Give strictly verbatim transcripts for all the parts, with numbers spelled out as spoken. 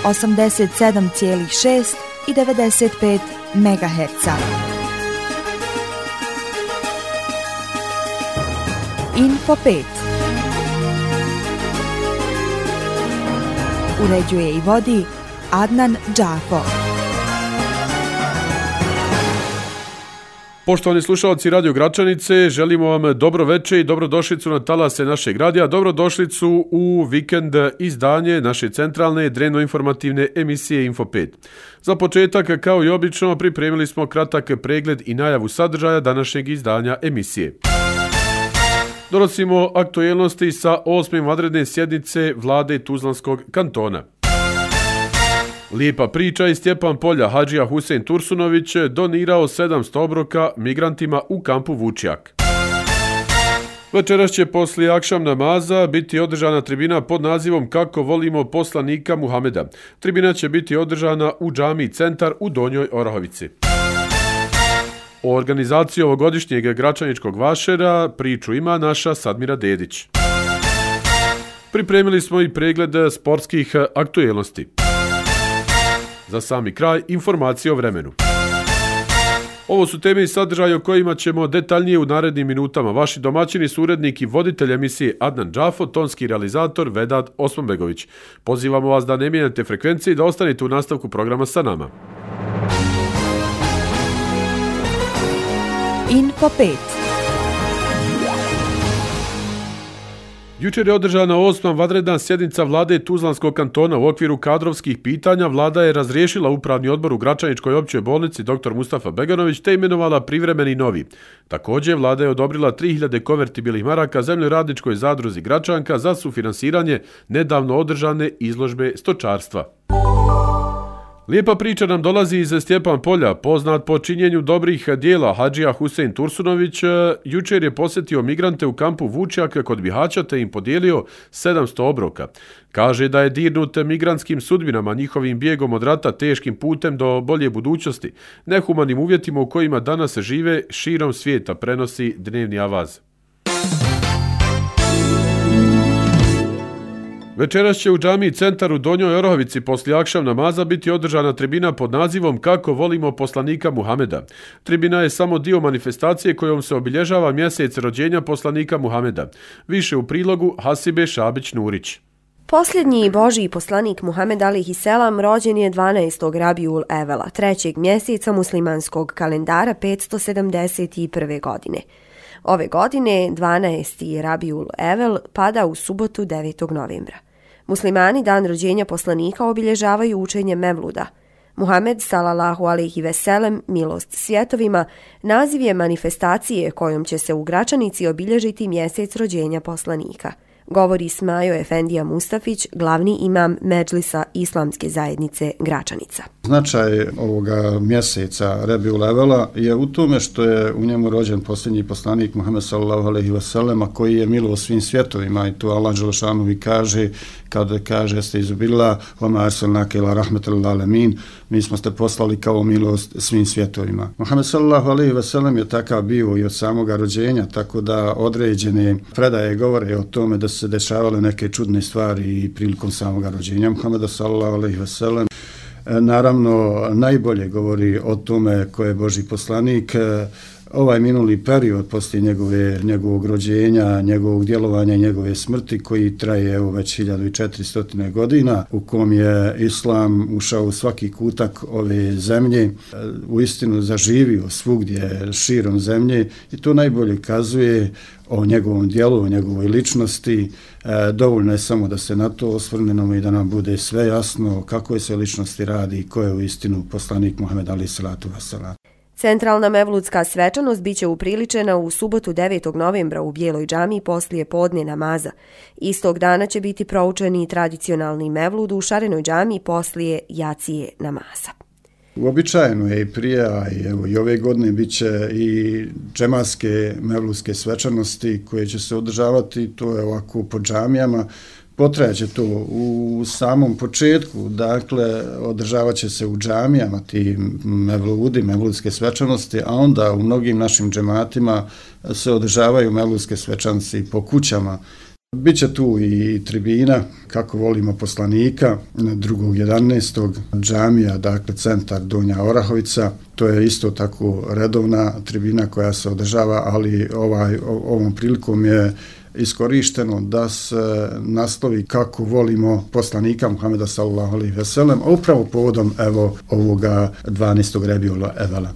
osamdeset sedam zarez šest i devedeset pet megaherca. Info pet. Uređuje i vodi Adnan Džafo. Poštovani slušalci Radio Gračanice, želimo vam dobro večer i dobrodošlicu na talase našeg radija, dobrodošlicu u vikend izdanje naše centralne dnevno-informativne emisije Info pet. Za početak, kao i obično, pripremili smo kratak pregled i najavu sadržaja današnjeg izdanja emisije. Donosimo aktuelnosti sa osme vanredne sjednice vlade Tuzlanskog kantona. Lijepa priča i Stjepan Polja, Hadžija Husein Tursunović donirao sedamsto obroka migrantima u kampu Vučjak. Večeras će poslije akšam namaza biti održana tribina pod nazivom Kako volimo poslanika Muhameda. Tribina će biti održana u džamiji Centar u Donjoj Orahovici. O organizaciji ovogodišnjeg Gračaničkog vašera priču ima naša Sadmira Dedić. Pripremili smo i pregled sportskih aktuelnosti. Za sami kraj, informacije o vremenu. Ovo su teme i sadržaje o kojima ćemo detaljnije u narednim minutama. Vaši domaćini su urednik i voditelj emisije Adnan Džafo, tonski realizator Vedat Osmanbegović. Pozivamo vas da ne mijenjate frekvencije i da ostanete u nastavku programa sa nama. Info pet. Jučer je održana osma vanredna sjednica vlade Tuzlanskog kantona. U okviru kadrovskih pitanja vlada je razriješila upravni odbor u Gračaničkoj općoj bolnici dr. Mustafa Beganović te imenovala privremeni novi. Također vlada je odobrila tri hiljade konvertibilnih maraka zemljoradničkoj zadruzi Gračanka za sufinansiranje nedavno održane izložbe stočarstva. Lijepa priča nam dolazi iz Stjepan Polja, poznat po činjenju dobrih dijela. Hadžija Husein Tursunović jučer je posjetio migrante u kampu Vučjak kod Bihaća te im podijelio sedamsto obroka. Kaže da je dirnut migrantskim sudbinama, njihovim bijegom od rata, teškim putem do bolje budućnosti, nehumanim uvjetima u kojima danas žive širom svijeta, prenosi Dnevni avaz. Večeras će u džamiji Centar u Donjoj Orahovici poslije akšam namaza biti održana tribina pod nazivom Kako volimo poslanika Muhameda. Tribina je samo dio manifestacije kojom se obilježava mjesec rođenja poslanika Muhameda. Više u prilogu Hasibe Šabić-Nurić. Posljednji Božji poslanik Muhammed alejhi selam rođen je dvanaestog Rabiul Evela, trećeg mjeseca muslimanskog kalendara petsto sedamdeset prve. godine. Ove godine dvanaesti Rabiul Evel pada u subotu devetog novembra. Muslimani dan rođenja poslanika obilježavaju učenje Mevluda. Muhammed sallallahu alejhi ve sellem, milost svjetovima, naziv je manifestacije kojom će se u Gračanici obilježiti mjesec rođenja poslanika. Govori Smajo Efendija Mustafić, glavni imam Medžlisa Islamske zajednice Gračanica. Značaj ovoga mjeseca Rabiul Evela je u tome što je u njemu rođen posljednji poslanik Muhammed sallallahu alejhi ve sellem, koji je milost svim svjetovima, i to Allah dželešanu i kaže kad kaže ste izubila wa ma arsalnake ila rahmetal lil alamin, mi smo ste poslali kao milost svim svjetovima. Muhammed sallallahu alejhi ve sellem je takav bio i od samoga rođenja, tako da određene predaje govore o tome da se dešavale neke čudne stvari i prilikom samoga rođenja Muhameda sallallahu alejhi ve sellem. Naravno, najbolje govori o tome ko je Božji poslanik ovaj minuli period poslije njegove, njegovog rođenja, njegovog djelovanja i njegove smrti, koji traje evo već hiljadu četiristo godina, u kom je Islam ušao u svaki kutak ove zemlje, uistinu zaživio svugdje širom zemlje, i to najbolje kazuje o njegovom djelu, o njegovoj ličnosti. E, dovoljno je samo da se na to osvrnemo i da nam bude sve jasno kako je se ličnosti radi i ko je uistinu poslanik Muhammed alejhi salatu vesselam. Centralna mevludska svečanost biće upriličena u subotu devetog novembra u Bijeloj džamiji poslije podne namaza. Istog dana će biti proučen i tradicionalni mevlud u Šarenoj džamiji poslije jacije namaza. Uobičajeno je i prije, a i, evo, i ove godine bit će i džematske mevludske svečanosti koje će se održavati, to je ovako po džamijama. Potrajaće to u samom početku, dakle, održavat će se u džamijama ti mevludi, mevludske svečanosti, a onda u mnogim našim džematima se održavaju mevludske svečanosti po kućama. Biće tu i tribina, kako volimo poslanika, drugog jedanaestog džamija, dakle centar Donja Orahovica. To je isto tako redovna tribina koja se održava, ali ovaj, ovom prilikom je iskorišteno da se naslovi kako volimo poslanika Muhameda sallallahu alejhi ve sellem, a upravo povodom evo ovoga dvanaestog Rebiul Evela.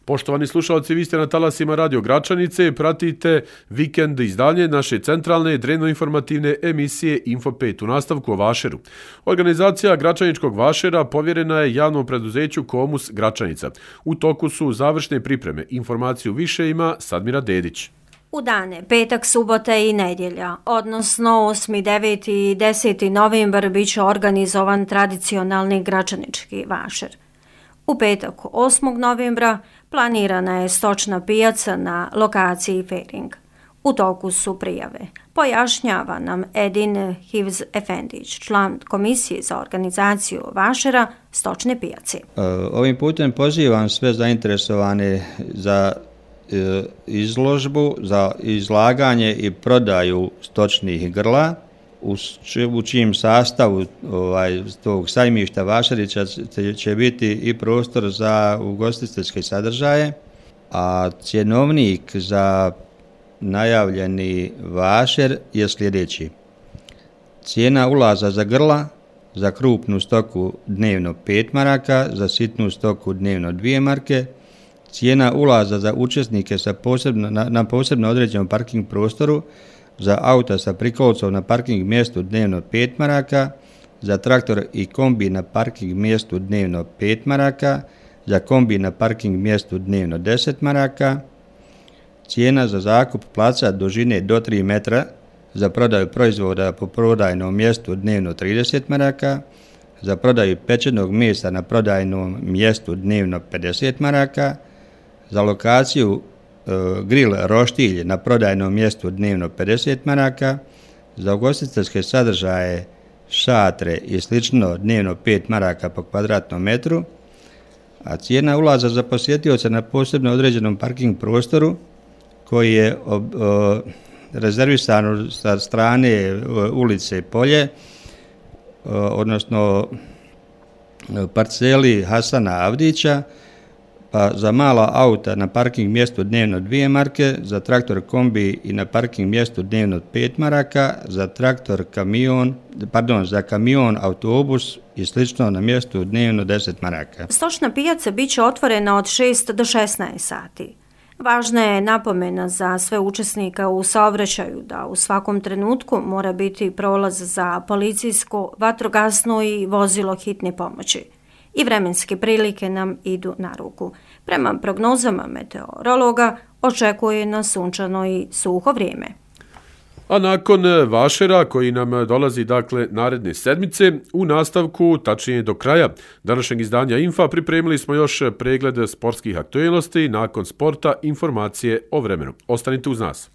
Poštovani slušalci, vi ste na talasima Radio Gračanice, pratite vikend izdanje naše centralne drevno-informativne emisije Info pet u nastavku o Vašeru. Organizacija Gračaničkog Vašera povjerena je javnom preduzeću Komus Gračanica. U toku su završne pripreme. Informaciju više ima Sadmira Dedić. U dane petak, subota i nedjelja, odnosno osmi, deveti i deseti novembar, bit će organizovan tradicionalni gračanički vašer. U petak osmog novembra planirana je stočna pijaca na lokaciji Fering. U toku su prijave. Pojašnjava nam Edin Hivz Efendić, član komisije za organizaciju vašera stočne pijace. Ovim putem pozivam sve zainteresovane za izložbu, za izlaganje i prodaju stočnih grla, u čijem sastavu ovaj, tog sajmišta Vašerića će biti i prostor za ugostiteljske sadržaje, a cjenovnik za najavljeni vašer je sljedeći. Cijena ulaza za grla, za krupnu stoku dnevno pet maraka, za sitnu stoku dnevno dvije marke, cijena ulaza za učesnike sa posebno, na, na posebno određenom parking prostoru, za auta sa prikolcom na parking mjestu dnevno pet maraka, za traktor i kombi na parking mjestu dnevno pet maraka, za kombi na parking mjestu dnevno deset maraka, cijena za zakup placa dužine do tri metra, za prodaju proizvoda po prodajnom mjestu dnevno trideset maraka, za prodaju pečenog mesa na prodajnom mjestu dnevno pedeset maraka, za lokaciju grill roštilj na prodajnom mjestu dnevno pedeset maraka, za ugostiteljske sadržaje, šatre i slično dnevno pet maraka po kvadratnom metru, a cijena ulaza za posjetioca na posebno određenom parking prostoru koji je o, o, rezervisan sa strane ulice Polje, o, odnosno parceli Hasana Avdića, pa za mala auta na parking mjestu dnevno dvije marke, za traktor kombi i na parking mjestu dnevno pet maraka, za traktor kamion, pardon, za kamion, autobus i slično na mjestu dnevno deset maraka. Stočna pijaca bit će otvorena od šest do šesnaest sati. Važna je napomena za sve učesnika u saobraćaju da u svakom trenutku mora biti prolaz za policijsko, vatrogasno i vozilo hitne pomoći. I vremenske prilike nam idu na ruku. Prema prognozama meteorologa očekuje nas sunčano i suho vrijeme. A nakon vašera koji nam dolazi dakle naredne sedmice, u nastavku, tačnije do kraja današnjeg izdanja Infa, pripremili smo još pregled sportskih aktualnosti, nakon sporta informacije o vremenu. Ostanite uz nas.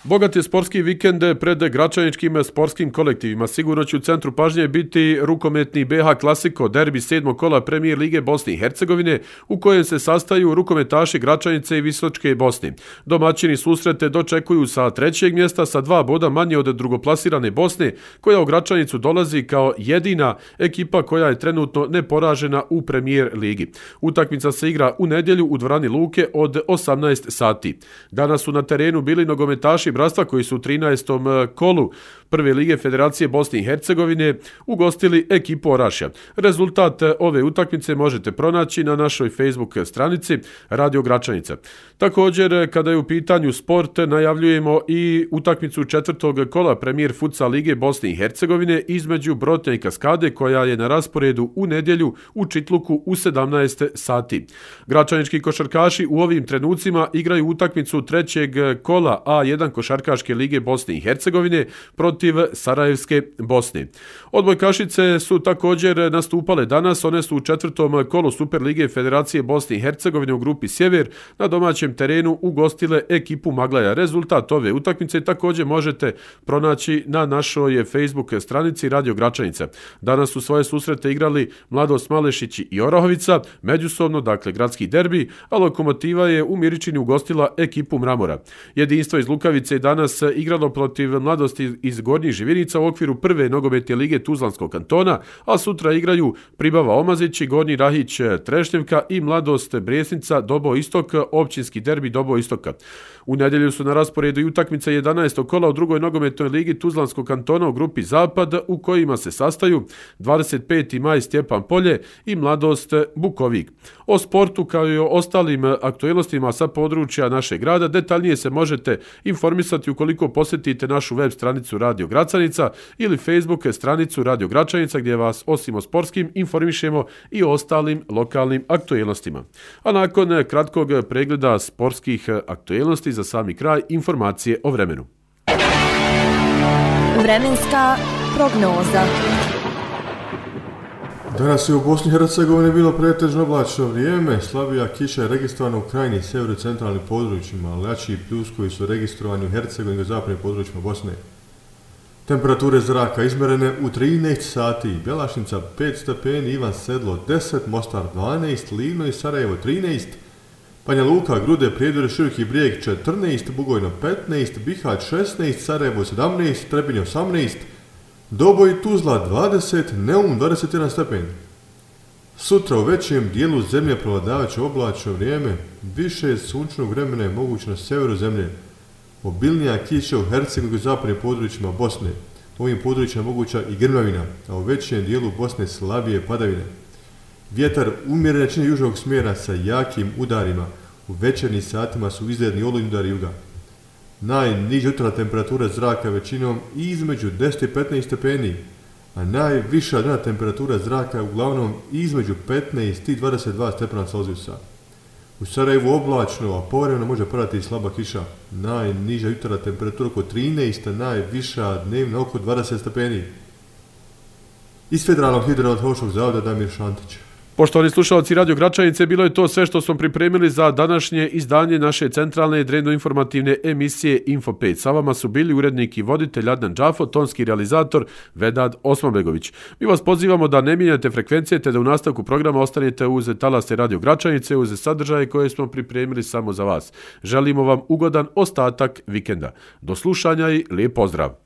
Bogat je sportski vikend pred gračaničkim sportskim kolektivima. Sigurno će u centru pažnje biti rukometni B H Klasiko, derbi sedmog kola Premijer Lige Bosne i Hercegovine, u kojem se sastaju rukometaši Gračanice i Visočke Bosne. Domaćini susrete dočekuju sa trećeg mjesta sa dva boda manje od drugoplasirane Bosne, koja u Gračanicu dolazi kao jedina ekipa koja je trenutno neporažena u Premijer Ligi. Utakmica se igra u nedjelju u dvorani Luke od osamnaest sati. Danas su na terenu bili nogometaši Bratstva koji su u trinaestom kolu Prve lige Federacije Bosne i Hercegovine ugostili ekipu Orašja. Rezultat ove utakmice možete pronaći na našoj Facebook stranici Radio Gračanica. Također, kada je u pitanju sport, najavljujemo i utakmicu četvrtog kola Premijer Futsal Lige Bosne i Hercegovine između Brotnja i Kaskade, koja je na rasporedu u nedjelju u Čitluku u sedamnaest sati. Gračanički košarkaši u ovim trenucima igraju utakmicu trećeg kola A jedan košarkaša košarkaške lige Bosne i Hercegovine protiv Sarajevske Bosne. Odbojkašice su također nastupale danas, one su u četvrtom kolu Superlige Federacije Bosne i Hercegovine u grupi Sjever na domaćem terenu ugostile ekipu Maglaja. Rezultat ove utakmice također možete pronaći na našoj Facebook stranici Radio Gračanica. Danas su svoje susrete igrali Mladost Malešić i Orahovica, međusobno, dakle gradski derbi, a Lokomotiva je u Miričini ugostila ekipu Mramora. Jedinstvo iz Lukavice je danas igralo protiv Mladosti iz Gornjih Živinica u okviru prve nogometne lige Tuzlanskog kantona, a sutra igraju Pribava Omazić i Gornji Rahić Trešnjevka i Mladost Brijesnica Dobo Istok, općinski derbi Dobo Istoka. U nedjelju su na rasporedu i utakmice jedanaestog kola u drugoj nogometnoj ligi Tuzlanskog kantona u grupi Zapad, u kojima se sastaju dvadeset peti maj Stjepan Polje i Mladost Bukovik. O sportu kao i o ostalim aktualnostima sa područja našeg grada detaljnije se možete informisati ukoliko posjetite našu web stranicu Radio Gračanica ili Facebook stranicu Radio Gračanica, gdje vas osim o sportskim informišemo i o ostalim lokalnim aktualnostima. A nakon kratkog pregleda sportskih aktualnosti, za sami kraj informacije o vremenu. Vremenska prognoza. Danas je u Bosni i Hercegovini bilo pretežno oblačno vrijeme, slabija kiša je registrovana u krajnjim severo-centralnim područjima, ali jači pljuskovi su registrovani u Hercegovini i zapadnim područjima Bosne. Temperature zraka izmjerene u trinaest sati, Bjelašnica pet stepeni, Ivan Sedlo deset, Mostar dvanaest, Livno i Sarajevo trinaest, Banja Luka, Grude, Prijedor, Široki Brijeg četrnaest, Bugojno petnaest, Bihać šesnaest, Sarajevo sedamnaest, Trebinje osamnaest, Doboj i Tuzla dvadeset, Neum dvadeset jedan stepen. Sutra u većem dijelu zemlje prevladavat će oblačno vrijeme, više sunčnog vremena je moguće na severu zemlje. Obilnija kiša u Hercegovini i zapadnim područjima Bosne. U ovim područjima je moguća i grmljavina, a u većem dijelu Bosne slabije padavine. Vjetar umjeren jačine južnog smjera sa jakim udarima. U večernjim satima su izgledni olujni udari juga. Najniža jutarnja temperatura zraka većinom između deset i petnaest stepeni, a najviša dnevna temperatura zraka je uglavnom između petnaest i dvadeset dva stepena Celzijusa. U Sarajevu oblačno, a povremeno može padati i slaba kiša. Najniža jutarnja temperatura oko trinaest, a najviša dnevna oko dvadeset stepeni. Iz Federalnog hidrometeorološkog zavoda Damir Šantić. Poštovani slušalci Radio Gračanice, bilo je to sve što smo pripremili za današnje izdanje naše centralne dnevno-informativne emisije Info pet. Sa vama su bili urednik i voditelj Adnan Džafo, tonski realizator Vedad Osmanbegović. Mi vas pozivamo da ne mijenjate frekvencije te da u nastavku programa ostanete uz talase Radio Gračanice, uz sadržaje koje smo pripremili samo za vas. Želimo vam ugodan ostatak vikenda. Do slušanja i lijep pozdrav!